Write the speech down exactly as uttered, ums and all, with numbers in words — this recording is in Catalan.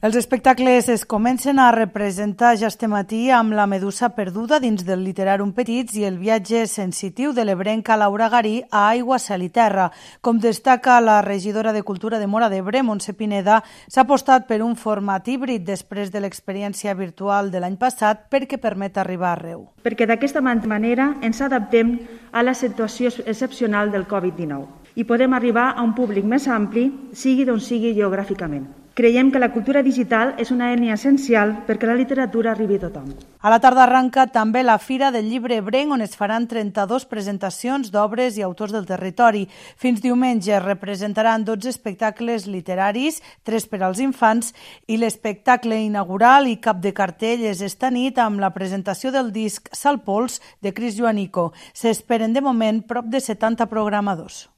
Els espectacles es comencen a representar ja este matí amb La medusa perduda dins del Literàrum Petits i el viatge sensitiu de l'ebrenca Laura Garí a Aigua, Cel i Terra. Com destaca la regidora de Cultura de Móra d'Ebre, Montse Pineda, s'ha apostat per un format híbrid després de l'experiència virtual de l'any passat perquè permet arribar arreu. Perquè d'aquesta manera ens adaptem a la situació excepcional del covid dinou i podem arribar a un públic més ampli, sigui d'on sigui geogràficament. Creiem que la cultura digital és una eina essencial perquè la literatura arribi a tothom. A la tarda arranca també la Fira del Llibre Ebrenc, on es faran trenta-dues presentacions d'obres i autors del territori. Fins diumenge es representaran dotze espectacles literaris, tres per als infants, i l'espectacle inaugural i cap de cartell és esta nit amb la presentació del disc Salpols de Cris Joanico. S'esperen de moment prop de setanta programadors.